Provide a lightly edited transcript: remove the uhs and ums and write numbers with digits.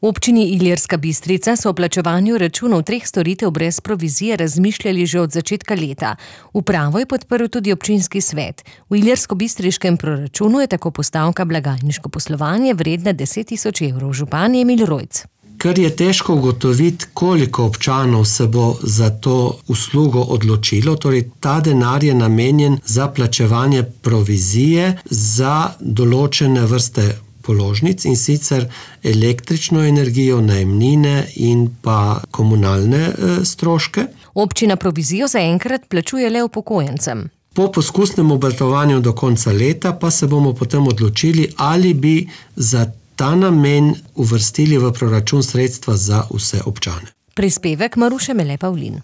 V občini Ilirska Bistrica so o plačevanju računov 3 storitev brez provizije razmišljali že od začetka leta. Upravo je podprl tudi občinski svet. V ilirsko-bistriškem proračunu je tako postavka blagajniško poslovanje vredna 10 000 evrov. Župan Emil Rojc. Ker je težko ugotoviti, koliko občanov se bo za to uslugo odločilo, torej ta denar je namenjen za plačevanje provizije za določene vrste položnic, in sicer električno energijo, najemnine in pa komunalne stroške. Občina provizijo zaenkrat plačuje le upokojencem. Po poskusnem obratovanju do konca leta pa se bomo potem odločili, ali bi za ta namen uvrstili v proračun sredstva za vse občane. Prispevek Maruše Mele Pavlin.